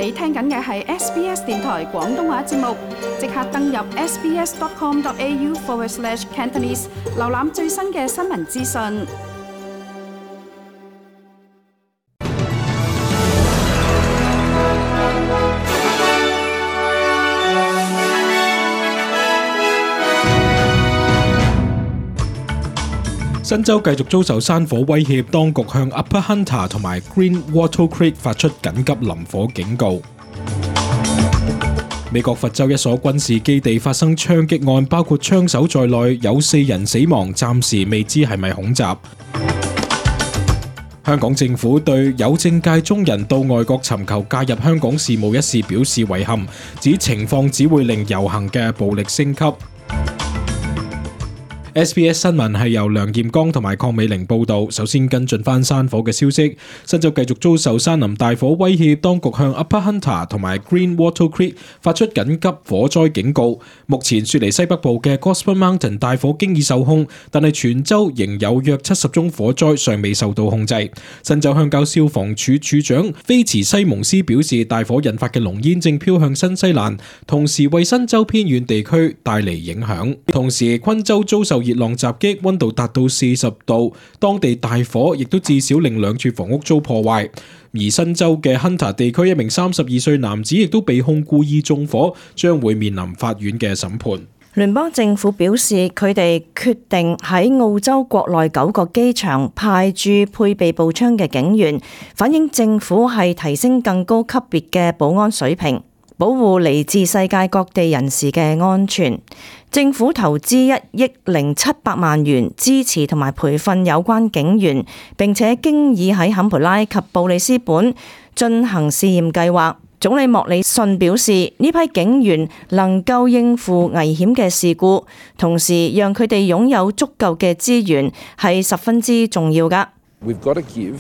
你聽緊嘅係 SBS 電台廣東話節目，即刻登入 sbs.com.au/Cantonese 瀏覽最新嘅新聞資訊。新州繼續遭受山火威脅，當局向 Upper Hunter 同埋 Green Wattle Creek 發出緊急林火警告。美國佛州一所軍事基地發生槍擊案，包括槍手在內有4人死亡，暫時未知係咪恐襲。香港政府對有政界中人到外國尋求介入香港事務一事表示遺憾，指情況只會令遊行嘅暴力升級。SBS 新聞係由梁劍剛同埋鄺美玲報道。首先跟進翻山火嘅消息，新州繼續遭受山林大火威脅，當局向 Upper Hunter 同埋 Green Wattle Creek 發出緊急火災警告。目前雪梨西北部嘅 Gosford Mountain 大火經已受控，但係全州仍有約70宗火災尚未受到控制。新州鄉郊消防處處長菲茨西蒙斯表示，大火引發嘅濃煙正飄向新西蘭，同時為新州偏遠地區帶嚟影響。同時昆州遭受熱浪襲擊，溫度達到40度，當地大火亦都至少令2處房屋遭破壞。而新州嘅 Hunter 地區一名32歲男子亦都被控故意縱火，將會面臨法院嘅審判。聯邦政府表示，佢哋決定喺澳洲國內9個機場派駐配備步槍嘅警員，反映政府係提升更高級別嘅保安水平，保護嚟自世界各地人士嘅安全。政府投資1億0700萬元支持同埋培訓有關警員，並且經已喺坎培拉及布里斯本進行試驗計劃。總理莫里遜表示，呢批警員能夠應付危險嘅事故，同時讓佢哋擁有足夠嘅資源係十分之重要㗎。We've got to give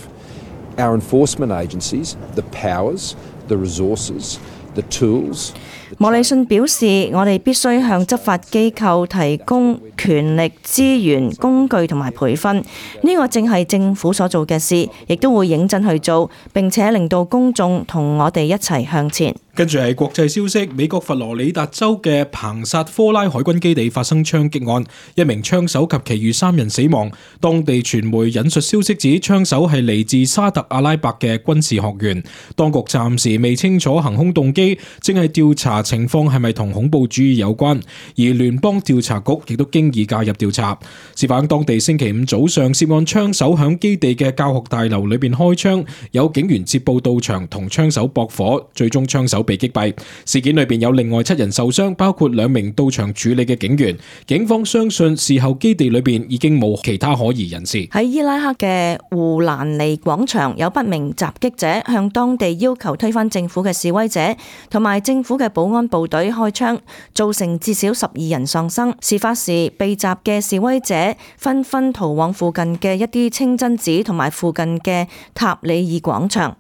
our enforcement agencies the powers, the resources, the tools. 莫里遜表示，我哋必須向執法機構提供權力、資源、工具同埋培訓，呢個正係政府所做嘅事，亦都會認真去做，並且令到公眾同我哋一齊向前。跟住係國際消息，美國佛羅里達州嘅彭薩科拉海軍基地發生槍擊案，一名槍手及其餘3人死亡。當地傳媒引述消息指，槍手係嚟自沙特阿拉伯嘅軍事學員。當局暫時未清楚行兇動機，正係調查情況係咪同恐怖主義有關。而聯邦調查局亦都經已介入調查。事發當地星期5早上，涉案槍手響基地嘅教學大樓裏邊開槍，有警員接報到場同槍手駁火，最終槍手被擊斃。事件裏邊有另外7人受傷，包括2名到場處理嘅警員。警方相信事後基地裏邊已經冇其他可疑人士。喺伊拉克嘅胡蘭尼廣場，有不明襲擊者向當地要求推翻政府嘅示威者同埋政府嘅保安部隊開槍，造成至少12人喪生。事發時被襲嘅示威者紛紛逃往附近嘅一啲清真寺同埋附近嘅塔里爾廣場。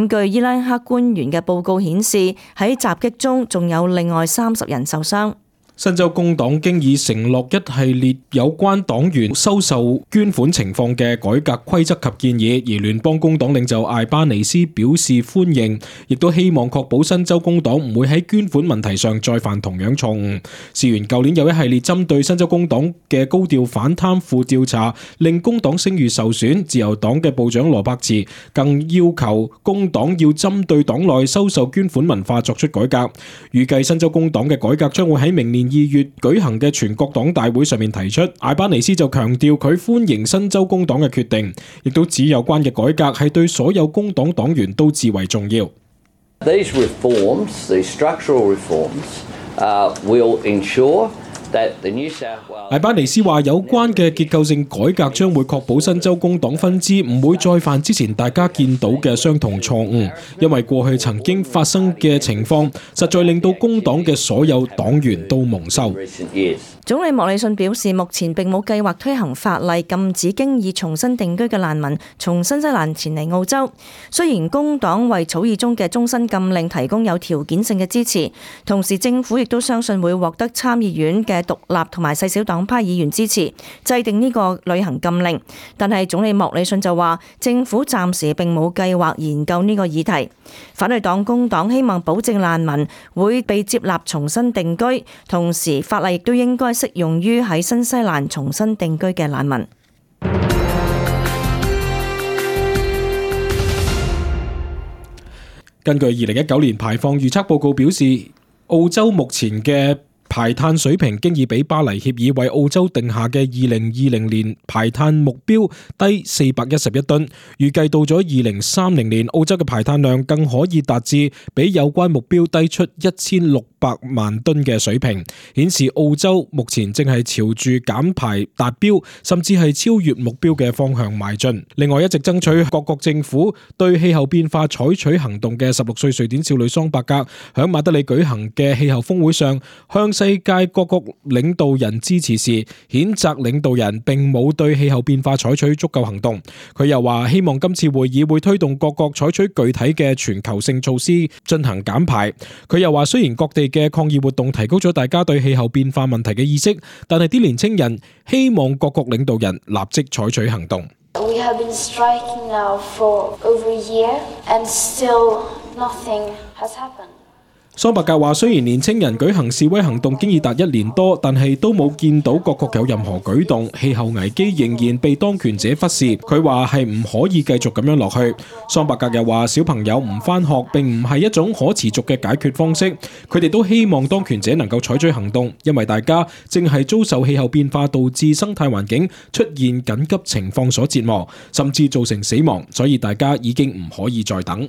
據伊拉克官員嘅報告顯示，喺襲擊中仲有另外30人受傷。新州工黨經已承諾一系列有關黨員收受捐款情況嘅改革規則及建議，而聯邦工黨領袖艾巴尼斯表示歡迎，亦都希望確保新州工黨唔會喺捐款問題上再犯同樣錯誤。事緣舊年有一系列針對新州工黨嘅高調反貪腐調查，令工黨聲譽受損。自由黨嘅部長羅伯茨更要求工黨要針對黨內收受捐款文化作出改革。預計新州工黨嘅改革將會喺明年2月舉行嘅全國黨大會上面提出。艾巴尼斯就強調佢歡迎新州工黨嘅決定，亦都指有關嘅改革係對所有工黨黨員都至為重要。These reforms, these structural reforms, will ensure艾巴尼斯話，有關嘅結構性改革將會確保新州工黨分支唔會再犯之前大家見到嘅相同錯誤，因為過去曾經發生嘅情況實在令到工黨嘅所有黨員都蒙羞。總理莫里遜表示，目前並冇計劃推行法例禁止經已重新定居嘅難民從新西蘭前嚟澳洲。雖然工黨為草擬中嘅終身禁令提供有條件性嘅支持，同時政府亦都相信會獲得參議院嘅獨立同埋細小黨派議員支持，制定呢個旅行禁令。但係總理莫里遜就話，政府暫時並冇計劃研究呢個議題。反對黨工黨希望保證難民會被接納重新定居，同時法例亦都應該適用於喺新西蘭重新定居嘅難民。根據2019年排放預測報告表示，澳洲目前嘅排碳水平經已比巴黎協議為澳洲定下嘅2020年排碳目標低411噸，預計到咗2030年，澳洲嘅排碳量更可以達至比有關目標低出1600萬噸嘅水平，顯示澳洲目前正係朝住減排達標甚至係超越目標嘅方向邁進。另外，一直爭取各國政府對氣候變化採取行動嘅16歲瑞典少女桑伯格響馬德里舉行嘅氣候峰會上，向世界各國領導人支持時，譴責領導人並冇對氣候變化採取足夠行動。佢又話希望今次會議會推動各國採取具體嘅全球性措施進行減排。佢又話雖然各地嘅抗議活動提高咗大家對氣候變化問題嘅意識，但係啲年青人希望各國領導人立即採取行動。We have been striking now for over a year and still nothing has happened. 桑伯格話：雖然年青人舉行示威行動經已達1年多，但係都冇見到各國有任何舉動，氣候危機仍然被當權者忽視。佢話係唔可以繼續咁樣落去。桑伯格又話：小朋友唔返學並唔係一種可持續嘅解決方式，佢哋都希望當權者能夠採取行動，因為大家正係遭受氣候變化導致生態環境出現緊急情況所折磨，甚至造成死亡，所以大家已經唔可以再等。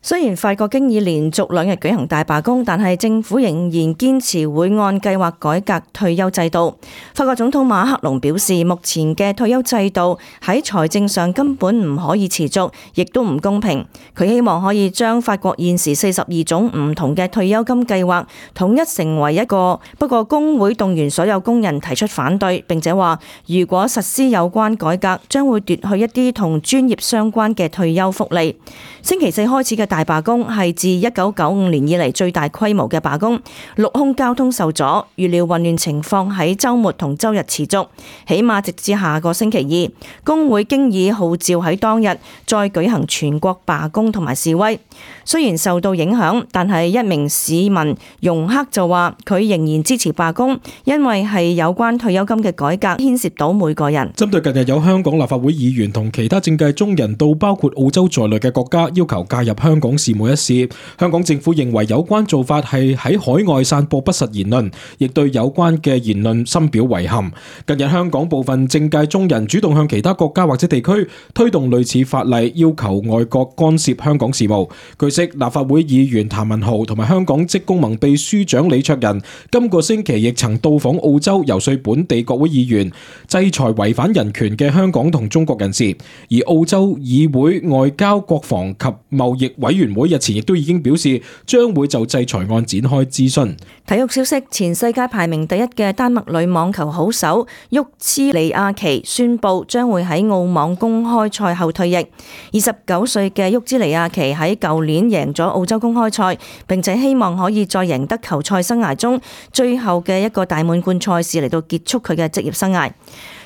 雖然法國經已連續2日舉行大罷工，但係政府仍然堅持會按計劃改革退休制度。法國總統馬克龍表示，目前嘅退休制度喺財政上根本唔可以持續，亦都唔公平。佢希望可以將法國現時42種唔同嘅退休金計劃統一成為一個，不過工會動員所有工人提出反對，並且話如果實施有關改革，將會奪去一啲同專業相關嘅退休福利。星期四開始嘅大罷工係自1995年以嚟最大規模嘅罷工，陸空交通受阻，預料混亂情況喺週末同週日持續，起碼直至下個星期二。工會經已號召喺當日再舉行全國罷工同埋示威。雖然受到影響，但係一名市民容克就話佢仍然支持罷工，因為係有關退休金嘅改革牽涉到每個人。針對近日有香港立法會議員同其他政界中人到包括澳洲在內嘅國家要求介入香港事務一事，香港政府認為有關做法係喺海外散播不實言論，亦對有關嘅言論深表遺憾。近日香港部分政界中人主動向其他國家或者地區推動類似法例，要求外國干涉香港事務。據悉，立法會議員譚文豪同埋香港職工盟秘書長李卓人今個星期亦曾到訪澳洲，游說本地國會議員制裁違反人權嘅香港同中國人士。而澳洲議會外交、國防及貿易委員會日前亦都已經表示，將會就制裁案展開諮詢。體育消息：前世界排名第1嘅丹麥女網球好手沃茲尼亞奇宣布將會喺澳網公開賽後退役。29歲嘅沃茲尼亞奇喺舊年贏咗澳洲公開賽，並且希望可以再贏得球賽生涯中最後嘅一個大滿貫賽事嚟到結束佢嘅職業生涯。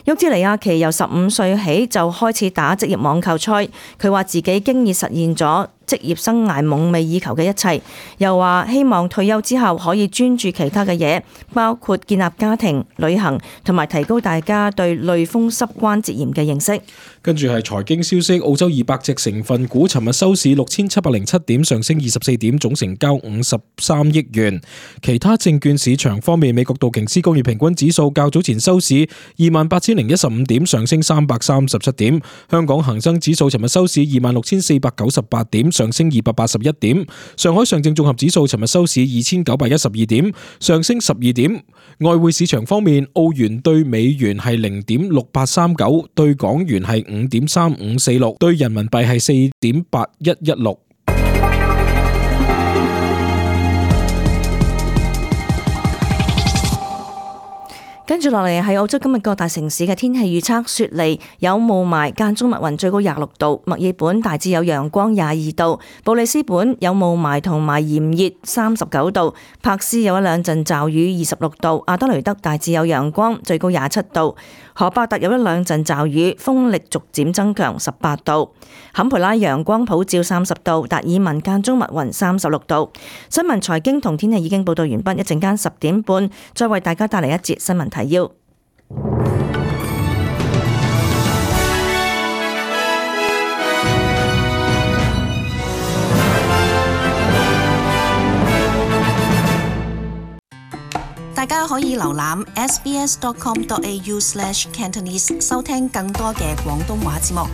沃茲尼亞奇由15歲起就開始打職業網球賽，佢話自己經已實現咗職業生涯夢寐以求嘅一切，又話希望退休之後可以專注其他嘅嘢，包括建立家庭、旅行同埋提高大家對類風濕關節炎嘅認識。跟住係財經消息，澳洲200隻成分股尋日收市6707點，上升24點，總成交53億元。其他證券市場方面，美國道瓊斯工業平均指數較早前收市28,015點，上升337點。香港恒生指數尋日收市26,498點，上升281點。上海上證綜合指數尋日收市2,912點，上升12點。外匯市場方面，澳元對美元係0.6839，對港元係5.3546，對人民幣係4.8116。跟住落嚟係澳洲今日各大城市嘅天氣預測，雪梨有霧霾間中密雲，最高26度；墨爾本大致有陽光22度；布里斯本有霧霾同埋炎熱39度；柏斯有一兩陣驟雨26度；阿德雷德大致有陽光，最高27度；荷伯特有一兩陣驟雨，風力逐漸增強18度；坎培拉陽光普照30度；達爾文間中密雲36度。新聞財經同天氣已經報道完畢，一陣間10點半再為大家帶嚟一節新聞提要。大家可以瀏覽 sbs.com.au/cantonese 收聽更多嘅廣東話節目。